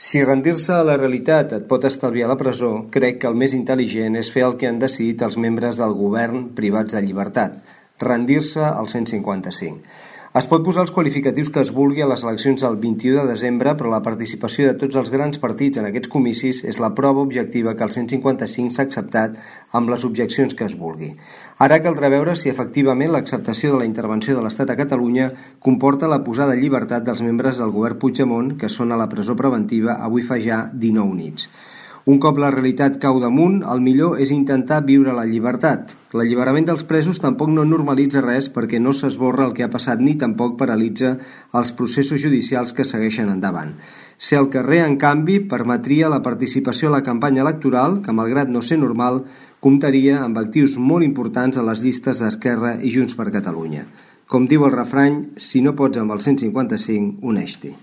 Si rendir-se a la realitat et pot estalviar la presó, crec que el més intel·ligent és fer el que han decidit els membres del govern privats de llibertat, rendir-se al 155. Es pot posar els qualificatius que es vulgui a les eleccions del 21 de desembre, però la participació de tots els grans partits en aquests comicis és la prova objectiva que el 155 s'ha acceptat amb les objeccions que es vulgui. Ara caldrà veure si efectivament l'acceptació de la intervenció de l'Estat a Catalunya comporta la posada en llibertat dels membres del govern Puigdemont, que són a la presó preventiva avui fa ja 19 nits. Un cop la realitat cau damunt, el millor és intentar viure la llibertat. L'alliberament dels presos tampoc no normalitza res perquè no s'esborra el que ha passat ni tampoc paralitza els processos judicials que segueixen endavant. Ser al carrer, en canvi, permetria la participació a la campanya electoral, que malgrat no ser normal, comptaria amb actius molt importants a les llistes d'Esquerra i Junts per Catalunya. Com diu el refrany, si no pots amb el 155, uneix-t'hi.